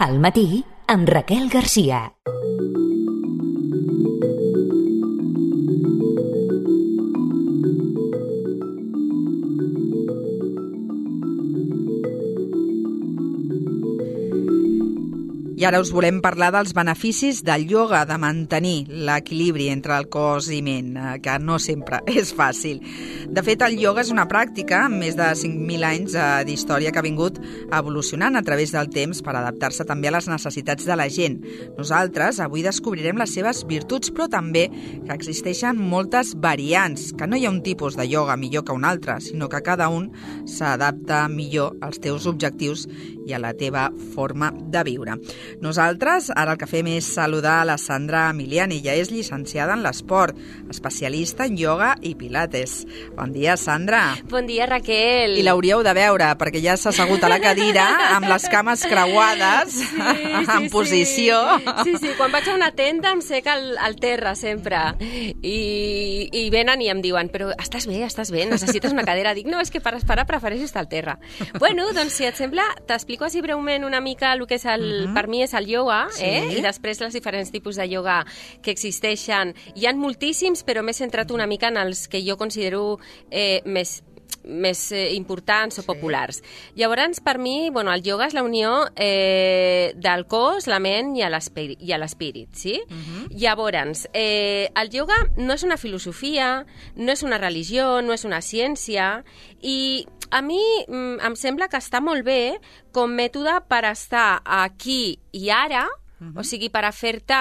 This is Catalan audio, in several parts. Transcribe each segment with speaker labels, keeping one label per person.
Speaker 1: Al matí, amb Raquel Garcia.
Speaker 2: I ara us volem parlar dels beneficis del ioga, de mantenir l'equilibri entre el cos i ment, que no sempre és fàcil. De fet, el ioga és una pràctica amb més de 5.000 anys d'història que ha vingut evolucionant a través del temps per adaptar-se també a les necessitats de la gent. Nosaltres avui descobrirem les seves virtuts, però també que existeixen moltes variants, que no hi ha un tipus de ioga millor que un altre, sinó que cada un s'adapta millor als teus objectius i a la teva forma de viure. Nosaltres ara el que fem és saludar a la Sandra Emiliani. Ella és llicenciada en l'esport, especialista en ioga i pilates. Bon dia, Sandra.
Speaker 3: Bon dia, Raquel.
Speaker 2: I l'hauríeu de veure, perquè ja s'ha assegut a la cadira amb les cames creuades, en posició.
Speaker 3: Sí, quan vaig a una tenda em sec al terra sempre. I venen i em diuen, però estàs bé, necessites una cadira. Dic, no, és que per esperar prefereixo estar al terra. Bueno, doncs si et sembla, t'explico així breument una mica el que és per mi és el ioga, i després els diferents tipus de ioga que existeixen. Hi ha moltíssims, però m'he centrat una mica en els que jo considero més importants o populars. Llavors, per mi, el ioga és la unió del cos, la ment i l'espírit, sí? Llavors, el ioga no és una filosofia, no és una religió, no és una ciència, i a mi em sembla que està molt bé com mètode per estar aquí i ara, o sigui, per a fer-te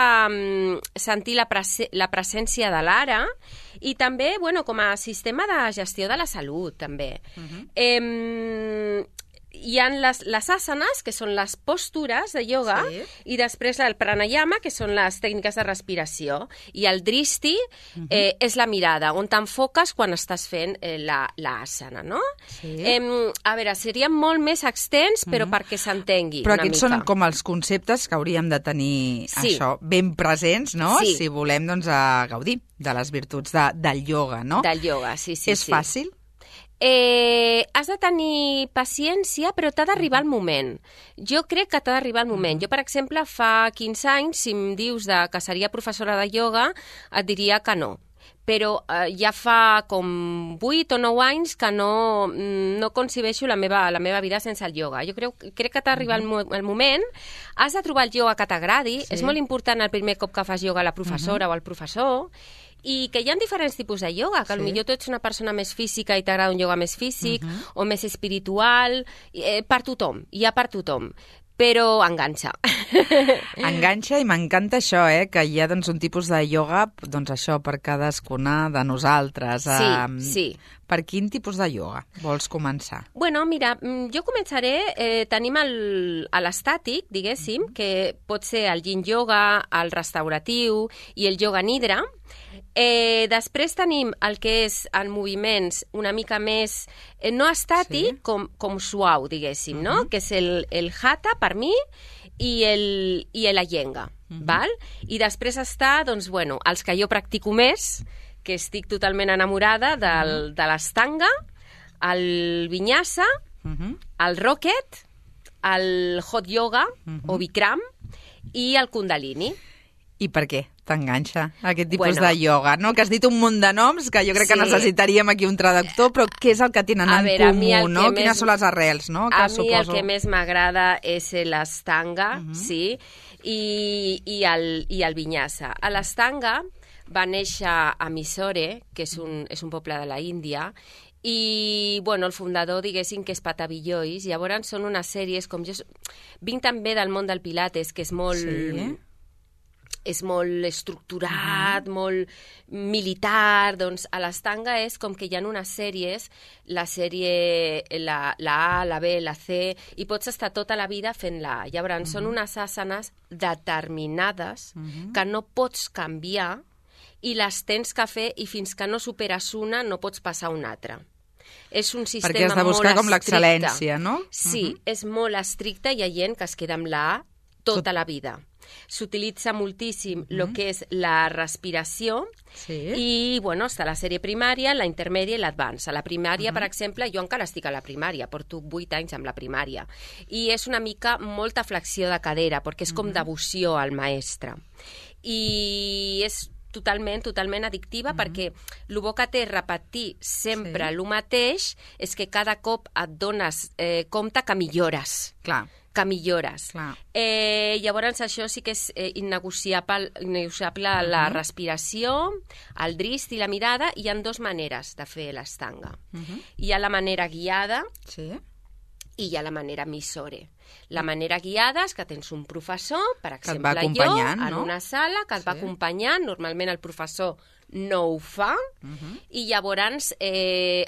Speaker 3: sentir la presència de l'ara, i també, com a sistema de gestió de la salut, també. Hi ha les asanes, que són les postures de ioga, i després el pranayama, que són les tècniques de respiració, i el drishti és la mirada, on t'enfoques quan estàs fent l'asana, no? A veure, seria molt més extens, però perquè s'entengui
Speaker 2: una mica.
Speaker 3: Però
Speaker 2: aquests són com els conceptes que hauríem de tenir això ben presents, no? Si volem gaudir de les virtuts del ioga, no?
Speaker 3: Del ioga, sí.
Speaker 2: És fàcil?
Speaker 3: Has de tenir paciència, però t'ha d'arribar el moment. Jo crec que t'ha d'arribar el moment. Jo, per exemple, fa 15 anys, si em dius que seria professora de ioga, et diria que no. Però ja fa com 8 o 9 anys que no concebeixo la meva vida sense el ioga. Jo crec que t'ha d'arribar el moment. Has de trobar el ioga que t'agradi. És molt important el primer cop que fas ioga la professora o el professor. I que hi ha diferents tipus de ioga, que potser tu ets una persona més física i t'agrada un ioga més físic o més espiritual, per tothom, hi ha per tothom. Però enganxa.
Speaker 2: Enganxa, i m'encanta això, que hi ha un tipus de ioga, això per cadascuna de nosaltres.
Speaker 3: Sí.
Speaker 2: Per quin tipus de ioga vols començar?
Speaker 3: Mira, jo començaré, tenim l'estàtic, diguéssim, que pot ser el yin yoga, el restauratiu i el yoga nidra. Després tenim el que és el moviments una mica més no estàtic, com suau, diguéssim, no? Que és el hatha, per mi, i l'Iyengar, val? I després està, els que jo practico més, que estic totalment enamorada de l'Ashtanga, el Vinyasa, el Rocket, el Hot Yoga o Bikram i el Kundalini.
Speaker 2: I per què t'enganxa aquest tipus de ioga, no? Que has dit un munt de noms que jo crec que necessitaríem aquí un traductor, però què és el que tenen en comú, no? Quines són les arrels, no?
Speaker 3: A mi el que més m'agrada és l'Ashtanga, sí, i el Vinyasa. L'Ashtanga va néixer a Mysore, que és un poble de la Índia, i el fundador, diguéssim, que és Patabi Jois. Llavors són unes sèries, com jo vinc també del món del pilates, que és molt... és molt estructurat, molt militar, doncs a l'Ashtanga és com que hi ha unes sèries, la sèrie, la A, la B, la C, i pots estar tota la vida fent-la. Llavors són unes asanes determinades que no pots canviar i les tens que fer, i fins que no superes una no pots passar a una altra. És un sistema molt estricte.
Speaker 2: Perquè has de buscar com l'excel·lència, no?
Speaker 3: Sí, és molt estricte, i hi ha gent que es queda amb la A tota la vida. s'utilitza moltíssim el que és la respiració i, bueno, està la sèrie primària, la intermèdia i l'advance. A la primària, per exemple, jo encara estic a la primària, porto 8 anys amb la primària, i és una mica molta flexió de cadera, perquè és com devoció al mestre. I és totalment addictiva perquè el bo que té repetir sempre el mateix és que cada cop et dones compte que millores.
Speaker 2: Clar.
Speaker 3: Que millores.
Speaker 2: Clar.
Speaker 3: Llavors això sí que és innegociable la respiració, el drist i la mirada. Hi ha 2 maneres de fer l'estanga. Hi ha la manera guiada i hi ha la manera missore. La manera guiada és que tens un professor, per exemple jo, en una sala, que et va acompanyant, normalment el professor no ho fa, i llavors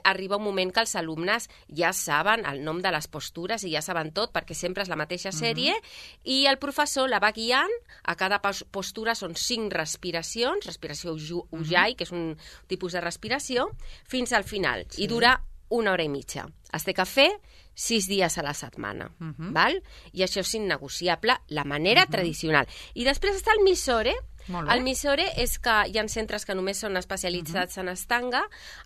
Speaker 3: arriba un moment que els alumnes ja saben el nom de les postures i ja saben tot, perquè sempre és la mateixa sèrie, i el professor la va guiant. A cada postura són 5 respiracions, respiració Ujjayi, que és un tipus de respiració, fins al final, i dura 1 hora i mitja. Has de fer 6 dies a la setmana, val? I això és innegociable, la manera tradicional. I després està el Missore. El Missore és que hi ha centres que només són especialitzats en estanga.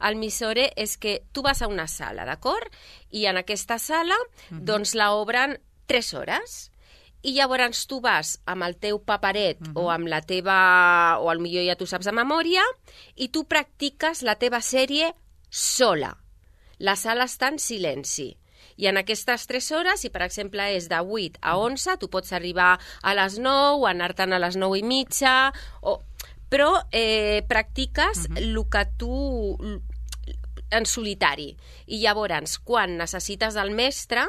Speaker 3: El Missore és que tu vas a una sala, d'acord? I en aquesta sala, doncs la obren 3 hores. I llavors tu vas amb el teu paperet o amb la teva... o potser ja tu saps de memòria, i tu practiques la teva sèrie sola. La sala està en silenci. I en aquestes 3 hores, si per exemple és de 8 a 11, tu pots arribar a les 9, anar-te'n a les 9 i mitja, però practiques el que tu en solitari. I llavors, quan necessites el mestre,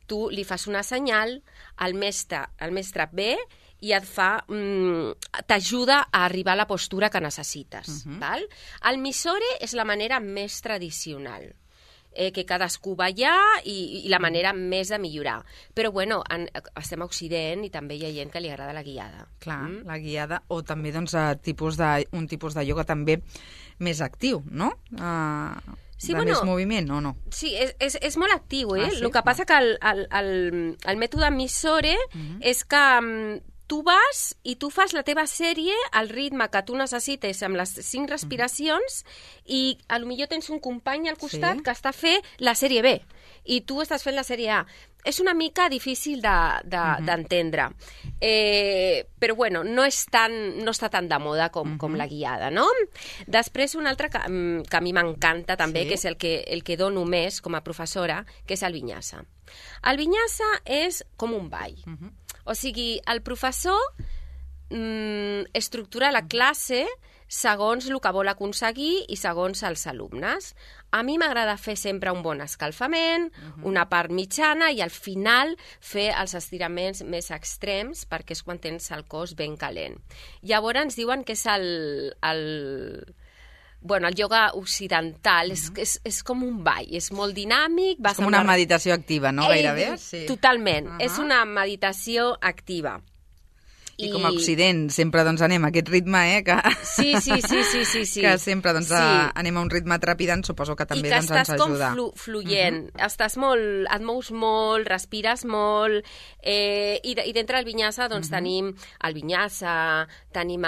Speaker 3: tu li fas una senyal, el mestre ve i t'ajuda a arribar a la postura que necessites. Val? El Missore és la manera més tradicional, que cadascú va allà i la manera més de millorar. Però, bueno, estem a Occident i també hi ha gent que li agrada la guiada.
Speaker 2: Clar, la guiada, o també doncs, un tipus de ioga també més actiu, no? Més moviment, o no?
Speaker 3: Sí, és molt actiu, eh? El que passa que el mètode Missore és que tu vas i tu fas la teva sèrie al ritme que tu necessites amb les 5 respiracions i potser tens un company al costat que està fent la sèrie B i tu estàs fent la sèrie A. És una mica difícil d'entendre. Però, bueno, no està tan de moda com la guiada, no? Després, un altre que a mi m'encanta també, que és el que dono més com a professora, que és el Vinyasa. El Vinyasa és com un ball. O sigui, el professor estructura la classe segons el que vol aconseguir i segons els alumnes. A mi m'agrada fer sempre un bon escalfament, una part mitjana i al final fer els estiraments més extrems perquè és quan tens el cos ben calent. Llavors ens diuen que és el ioga occidental, és com un ball, és molt dinàmic.
Speaker 2: És com una meditació activa, no? Gairebé.
Speaker 3: Totalment, és una meditació activa.
Speaker 2: I com a Occident sempre anem a aquest ritme, que que sempre anem a un ritme trepidant, suposo que també ens ajuda.
Speaker 3: I que estàs com fluent, estàs molt, et mous molt, respires molt, i dintre del Vinyasa tenim el Vinyasa, tenim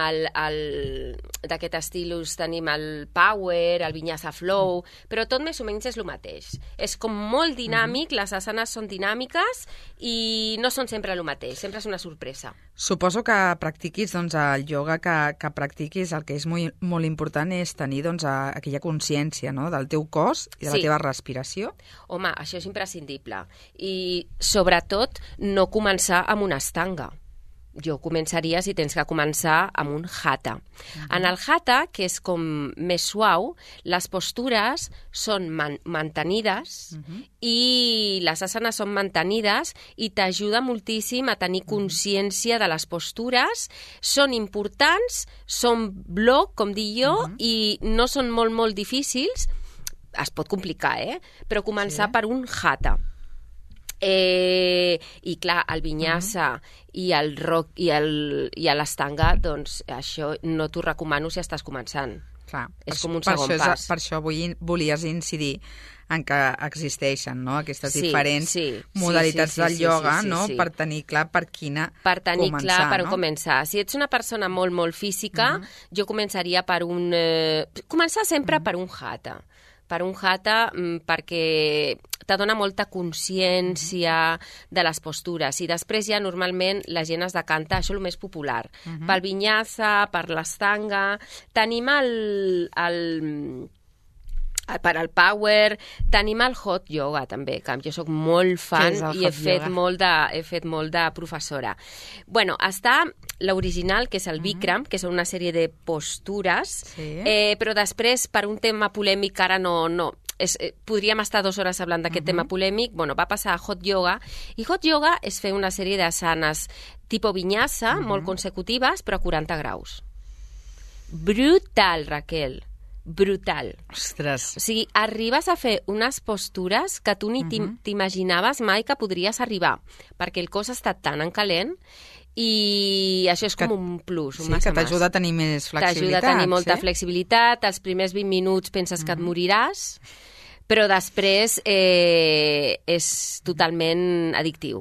Speaker 3: d'aquest estilus, tenim el Power, el Vinyasa Flow, però tot més o menys és el mateix. És com molt dinàmic, les asanes són dinàmiques i no són sempre el mateix, sempre és una sorpresa.
Speaker 2: Suposo que practiquis el ioga que practiquis, el que és molt important és tenir aquella consciència del teu cos i de la teva respiració.
Speaker 3: Home, això és imprescindible. I sobretot no començar amb una estanga. Jo començaria, si tens que començar, amb un hatha. En el hatha, que és com més suau, les postures són mantenides i les asanes són mantenides i t'ajuda moltíssim a tenir consciència de les postures. Són importants, són bloc, com dic jo, i no són molt, molt difícils. Es pot complicar, però començar per un hatha. I clar, el Vinyasa i el rock i l'estanga, doncs això no t'ho recomano si estàs començant.
Speaker 2: Clar,
Speaker 3: És com un segon pas.
Speaker 2: Per això volies incidir en que existeixen, no?, aquestes diferents modalitats del ioga, no?, per tenir clar per quina començar.
Speaker 3: Per tenir clar per on començar. Si ets una persona molt, molt física, jo començaria per començar sempre per un hatha. Per un hatha perquè te dona molta consciència de les postures i després ja normalment la gent es decanta, això és el més popular, pel vinyasa, per l'astanga. Tenim per al power, tenim el hot yoga també, que jo soc molt fan i he fet molt de professora. Bueno, està l'original, que és el Bikram, que són una sèrie de postures, però després, per un tema polèmic, ara no podríem estar 2 hores parlant d'aquest tema polèmic, bueno, va passar a hot yoga, i hot yoga és fer una sèrie d'asanes tipus vinyasa, molt consecutives, però a 40 graus. Brutal, Raquel. Brutal.
Speaker 2: Ostres.
Speaker 3: O sigui, arribes a fer unes postures que tu ni t'imaginaves mai que podries arribar, perquè el cos està tan en calent i això és com un plus, un massa
Speaker 2: que t'ajuda a tenir més flexibilitat.
Speaker 3: T'ajuda a tenir molta flexibilitat, els primers 20 minuts penses que et moriràs, però després és totalment addictiu.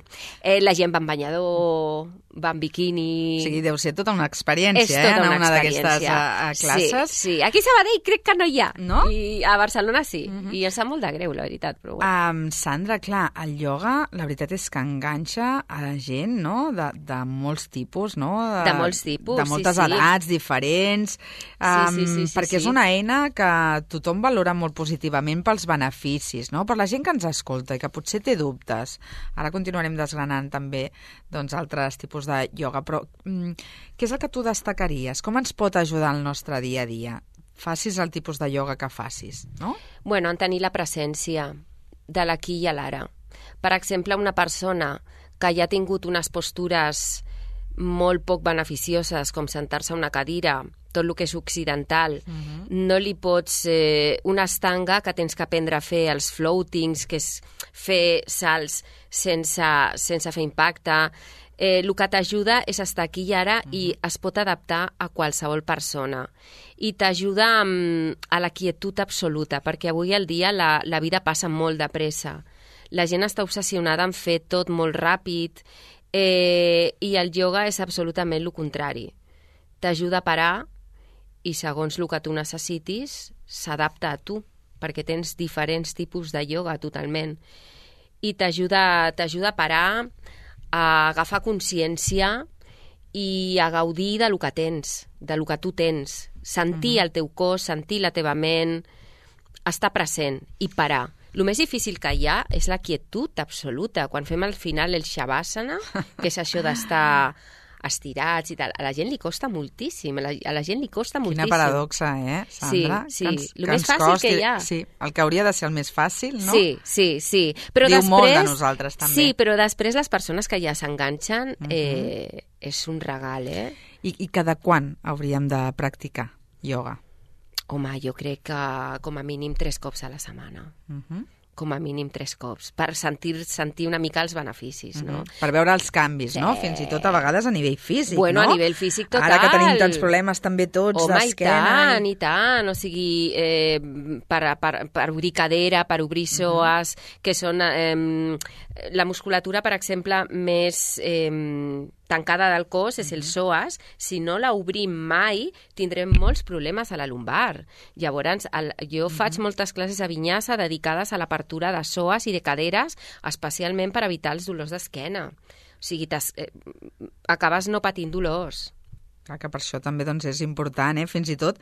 Speaker 3: La gent va en banyador, va en biquini...
Speaker 2: O sigui, deu ser tota una experiència, anar a una d'aquestes classes.
Speaker 3: Sí. Aquí a Sabadell crec que no hi ha. No? I a Barcelona sí. I em sap molt de greu, la veritat. Però bueno.
Speaker 2: Sandra, clar, el ioga, la veritat és que enganxa a la gent, no?, de molts tipus, no?
Speaker 3: De molts tipus,
Speaker 2: de moltes edats diferents, perquè és una eina que tothom valora molt positivament pels beneficis, no?, per la gent que ens escolta i que potser té dubtes. Ara continuarem desgranant també altres tipus de ioga, però què és el que tu destacaries? Com ens pot ajudar el nostre dia a dia? Facis el tipus de ioga que facis, no?
Speaker 3: Bueno, en tenir la presència de l'aquí i a l'ara. Per exemple, una persona que ja ha tingut unes postures molt poc beneficioses, com sentar-se a una cadira, tot el que és occidental, no li pots... una estanga que tens que aprendre a fer, els floatings, que és fer salts sense fer impacte. El que t'ajuda és estar aquí i ara i es pot adaptar a qualsevol persona. I t'ajuda a la quietud absoluta, perquè avui al dia la vida passa molt de pressa. La gent està obsessionada en fer tot molt ràpid i el ioga és absolutament el contrari. T'ajuda a parar i segons el que tu necessitis s'adapta a tu, perquè tens diferents tipus de ioga totalment. I t'ajuda a parar, a agafar consciència i a gaudir del que tens, del que tu tens. Sentir el teu cos, sentir la teva ment, estar present i parar. El més difícil que hi ha és la quietud absoluta. Quan fem al final el shavasana, que és això d'estar estirats i tal, a la gent li costa moltíssim. A la gent li costa moltíssim.
Speaker 2: Quina paradoxa, Sandra?
Speaker 3: Sí. El més fàcil que hi ha.
Speaker 2: Sí, el que hauria de ser el més fàcil, no?
Speaker 3: Sí. Però
Speaker 2: diu
Speaker 3: després,
Speaker 2: molt de nosaltres, també.
Speaker 3: Sí, però després les persones que ja s'enganxen és un regal,
Speaker 2: I cada quan hauríem de practicar ioga?
Speaker 3: Home, jo crec que com a mínim 3 cops a la setmana. Com a mínim 3 cops, per sentir una mica els beneficis, no?
Speaker 2: Per veure els canvis, no? Fins i tot a vegades a nivell físic,
Speaker 3: bueno,
Speaker 2: no?
Speaker 3: A nivell físic total.
Speaker 2: Ara que tenim tants problemes també tots d'esquena.
Speaker 3: Home, i tant. O sigui, per obrir cadera, per obrir psoas, que són la musculatura, per exemple, més tancada del cos és el psoas. Si no la obrim mai, tindrem molts problemes a la lumbar. Llavors, jo faig moltes classes a vinyasa dedicades a l'apertura de psoas i de caderes, especialment per evitar els dolors d'esquena. O sigui, acabes no patint dolors.
Speaker 2: Clar, que per això també és important, fins i tot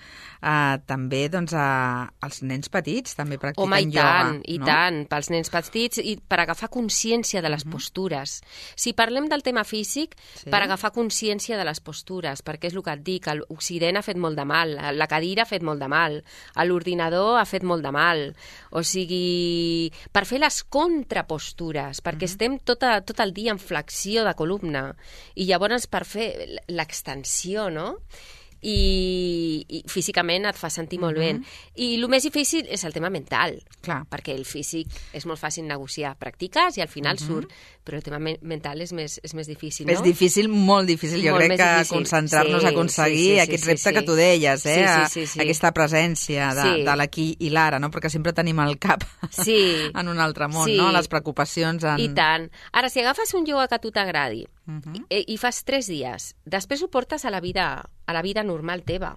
Speaker 2: també els nens petits també practiquen ioga.
Speaker 3: I tant, pels nens petits i per agafar consciència de les postures. Si parlem del tema físic, per agafar consciència de les postures, perquè és el que et dic, l'Occident ha fet molt de mal, la cadira ha fet molt de mal, l'ordinador ha fet molt de mal, o sigui, per fer les contrapostures, perquè estem tot el dia en flexió de columna, i llavors per fer l'extensió, no? i físicament et fa sentir molt bé. I el més difícil és el tema mental, perquè el físic és molt fàcil negociar, practiques i al final surt, però el tema mental és més difícil, no?
Speaker 2: És difícil, molt difícil, jo crec que concentrar-nos a aconseguir aquest repte que tu deies, aquesta presència de l'aquí i l'ara, no? Perquè sempre tenim el cap en un altre món, no? Les preocupacions...
Speaker 3: I tant. Ara, si agafes un ioga que a tu t'agradi i fas 3 dies, després ho portes a la vida normal teva.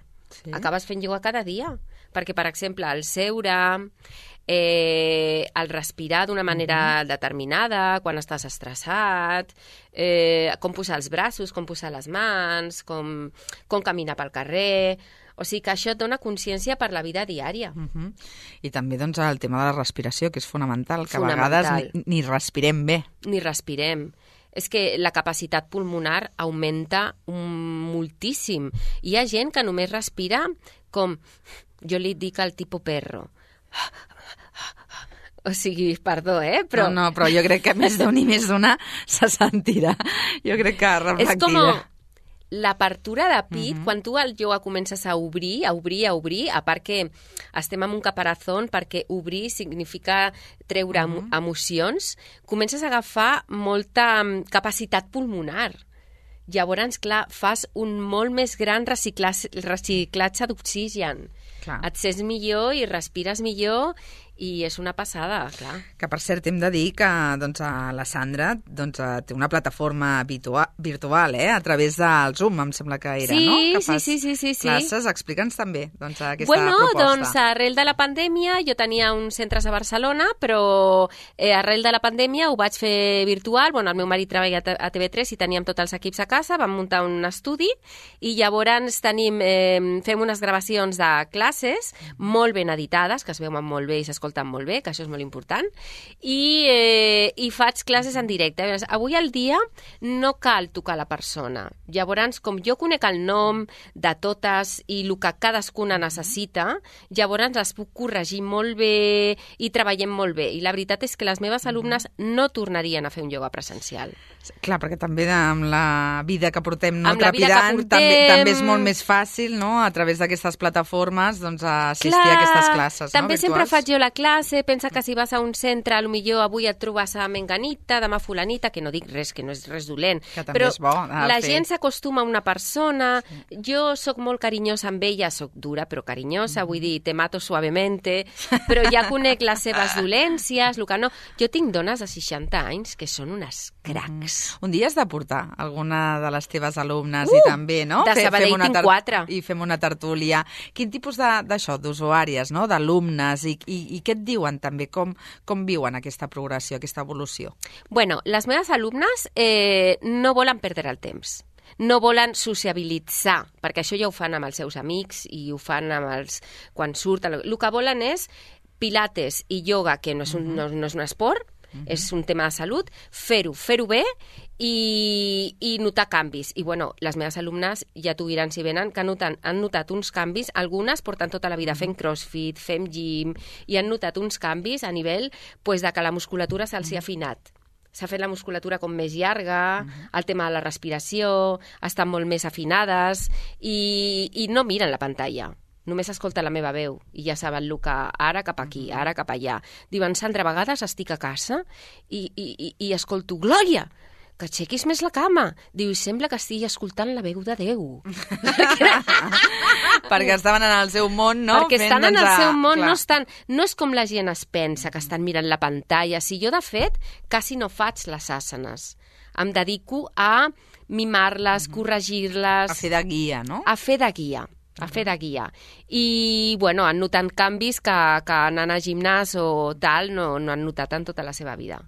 Speaker 3: Acabes fent ioga cada dia. Perquè, per exemple, el seure, el respirar d'una manera determinada, quan estàs estressat, com posar els braços, com posar les mans, com caminar pel carrer... O sigui que això et dona consciència per la vida diària.
Speaker 2: I també doncs, el tema de la respiració, que és fonamental, que a vegades ni respirem bé.
Speaker 3: Ni respirem. És que la capacitat pulmonar augmenta moltíssim. Hi ha gent que només respira com, jo li dic al tipus perro. O sigui, perdó, però...
Speaker 2: No, però jo crec que més d'un i més d'una se sentirà. Jo crec que reflectirà.
Speaker 3: És com l'apertura de pit, quan tu al ioga comences a obrir, a part que estem en un caparazón, perquè obrir significa treure emocions, comences a agafar molta capacitat pulmonar. Llavors, clar, fas un molt més gran reciclatge d'oxigen. Et sents millor i respires millor i és una passada, clar.
Speaker 2: Que, per cert, hem de dir que la Sandra té una plataforma virtual, a través del Zoom, em sembla que era, no? Que fas classes. Explica'ns també aquesta proposta.
Speaker 3: Doncs arrel de la pandèmia, jo tenia uns centres a Barcelona, però arrel de la pandèmia ho vaig fer virtual. El meu marit treballa a TV3 i teníem tots els equips a casa, vam muntar un estudi i llavors fem unes gravacions de classes molt ben editades, que es veuen molt bé i s'escolten molt bé, que això és molt important, i faig classes en directe. Avui al dia no cal tocar la persona. Llavors, com jo conec el nom de totes i el que cadascuna necessita, llavors les puc corregir molt bé i treballem molt bé. I la veritat és que les meves alumnes no tornarien a fer un ioga presencial.
Speaker 2: Clar, perquè també amb la vida que portem trepidant, també és molt més fàcil, no?, a través d'aquestes plataformes, assistir a aquestes classes, no?,
Speaker 3: també sempre faig jo la classe, pensa que si vas a un centre, potser avui et trobes a menganita, demà fulanita, que no dic res, que no és res dolent, però la gent s'acostuma a una persona, jo sóc molt carinyosa amb ella, sóc dura però carinyosa, vull dir, te mato suavemente, però ja conec les seves dolències, el que no. Jo tinc dones de 60 anys que són unes cracs.
Speaker 2: Un dia has de portar alguna de les teves alumnes i també, no?
Speaker 3: De Sabadell tinc 4.
Speaker 2: I fem una tertúlia. Quin tipus d'usuàries, no?, d'alumnes, i què et diuen també? Com viuen aquesta progressió, aquesta evolució?
Speaker 3: Bueno, les meves alumnes no volen perdre el temps. No volen sociabilitzar, perquè això ja ho fan amb els seus amics i ho fan quan surten. El que volen és pilates i ioga, que no és un esport, és un tema de salut, fer-ho bé i notar canvis. I, les meves alumnes ja t'ho diran si venen, que han notat uns canvis, algunes porten tota la vida fent crossfit, fent gym, i han notat uns canvis a nivell de que la musculatura se'ls ha afinat. S'ha fet la musculatura com més llarga, el tema de la respiració, estan molt més afinades i no miren la pantalla. Només escolta la meva veu i ja saben el que ara cap aquí, ara cap allà. Diuen, Sandra, a vegades estic a casa i escolto, Glòria, que aixequis més la cama. Diu, sembla que estigui escoltant la veu de Déu.
Speaker 2: Perquè estaven en el seu món, no?
Speaker 3: Perquè estan en el seu món, no és com la gent es pensa, que estan mirant la pantalla. Si jo, de fet, quasi no faig les àsanes. Em dedico a mimar-les, corregir-les...
Speaker 2: A fer de guia, no?
Speaker 3: A fer de guia. I, han notat canvis que anant a gimnàs o tal no han notat en tota la seva vida.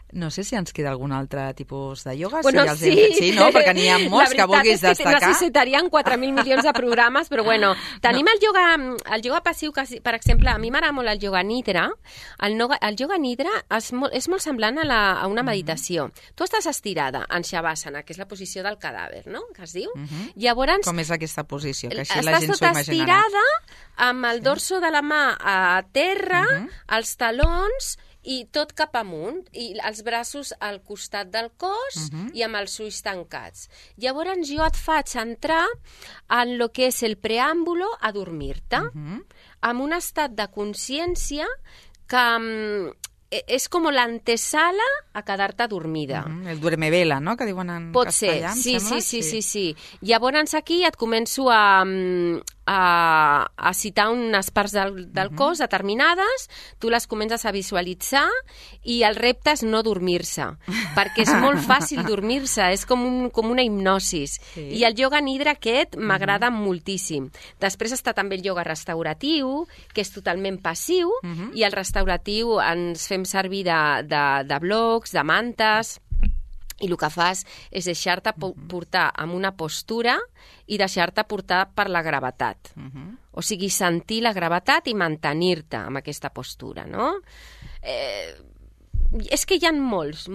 Speaker 2: No sé si ens queda algun altre tipus de ioga.
Speaker 3: Sí,
Speaker 2: no? Perquè n'hi ha molts que vulguis destacar.
Speaker 3: La veritat és que necessitarien 4.000 milions de programes, però tenim el ioga passiu, que, per exemple, a mi m'agrada molt el ioga nidra. El ioga nidra és molt semblant a una meditació. Tu estàs estirada en shavasana, que és la posició del cadàver, no?, que es diu. Llavors,
Speaker 2: com és aquesta posició? Que així la gent s'ho imaginarà.
Speaker 3: Estàs tota estirada, amb el dorso de la mà a terra, els talons i tot cap amunt, i els braços al costat del cos i amb els ulls tancats. Llavors jo et faig entrar en lo que és el preàmbulo a dormir-te, amb un estat de consciència que és com l'antesala a quedar-te dormida.
Speaker 2: El duerme vela, no?, que diuen en castellà, em sembla.
Speaker 3: Sí. Llavors aquí et començo a citar unes parts del cos determinades, tu les comences a visualitzar i el repte és no dormir-se, perquè és molt fàcil dormir-se, és com una hipnosis. I el ioga nidra aquest m'agrada moltíssim. Després està també el ioga restauratiu, que és totalment passiu, i el restauratiu ens fem servir de blocs, de mantes, i el que fas és deixar-te portar amb una postura i deixar-te portar per la gravetat. O sigui, sentir la gravetat i mantenir-te amb aquesta postura, no? És que hi ha molts.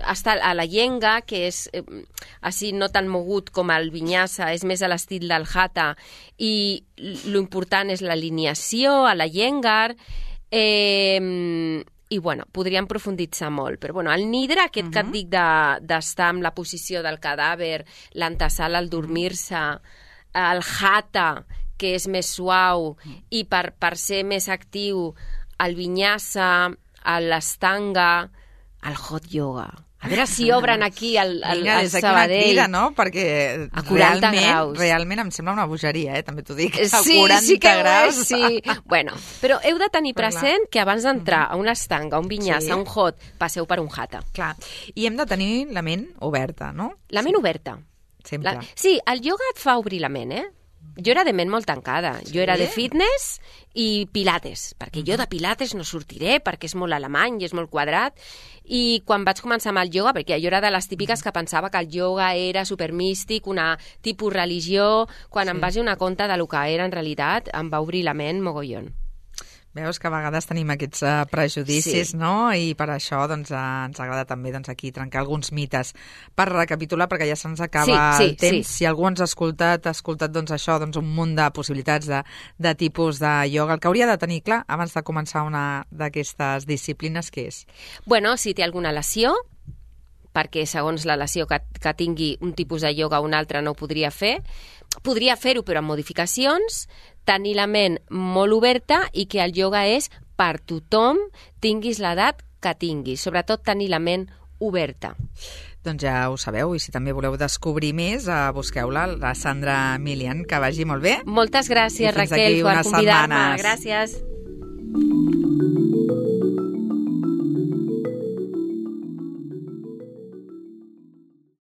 Speaker 3: Està a la yenga, que és així no tan mogut com el vinyasa, és més a l'estil del hatha, i l'important és l'alineació a la yengar, i bueno, podríem profunditzar molt, però bueno, el nidra, aquest que et dic d'estar en la posició del cadàver, l'antesala al dormir-se, el hatha, que és més suau, i per ser més actiu, el vinyasa, l'astanga, el hot yoga. A veure si obren aquí al Sabadell.
Speaker 2: Crida, no? Perquè
Speaker 3: a 40 graus.
Speaker 2: Realment em sembla una bogeria, també t'ho dic.
Speaker 3: A 40 graus. Sí. Bueno, però heu de tenir present que abans d'entrar a una estanga, a un vinyasa, a un hot, passeu per un hatha.
Speaker 2: Clar. I hem de tenir la ment oberta, no?
Speaker 3: La ment oberta.
Speaker 2: Sempre.
Speaker 3: Sí, el ioga et fa obrir la ment, Jo era de ment molt tancada. Jo era de fitness i pilates, perquè jo de pilates no sortiré, perquè és molt alemany i és molt quadrat. I quan vaig començar amb el ioga, perquè jo era de les típiques que pensava que el ioga era supermístic, una tipus religió, quan em vaig donar compte de lo que era en realitat, em va obrir la ment mogollon.
Speaker 2: Veus que a vegades tenim aquests prejudicis, no? I per això ens agrada també aquí trencar alguns mites. Per recapitular, perquè ja se'ns acaba el temps, si algú ens ha escoltat això, un munt de possibilitats de tipus de ioga. El que hauria de tenir clar abans de començar una d'aquestes disciplines, què és?
Speaker 3: Bueno, si té alguna lesió, perquè segons la lesió que tingui un tipus de ioga o un altre no ho podria fer-ho però amb modificacions, tenir la ment molt oberta i que el ioga és per tothom, tinguis l'edat que tinguis, sobretot tenir la ment oberta.
Speaker 2: Doncs ja ho sabeu, i si també voleu descobrir més, busqueu-la, la Sandra Milian, que vagi molt bé.
Speaker 3: Moltes gràcies, Raquel, per convidar-me. Gràcies.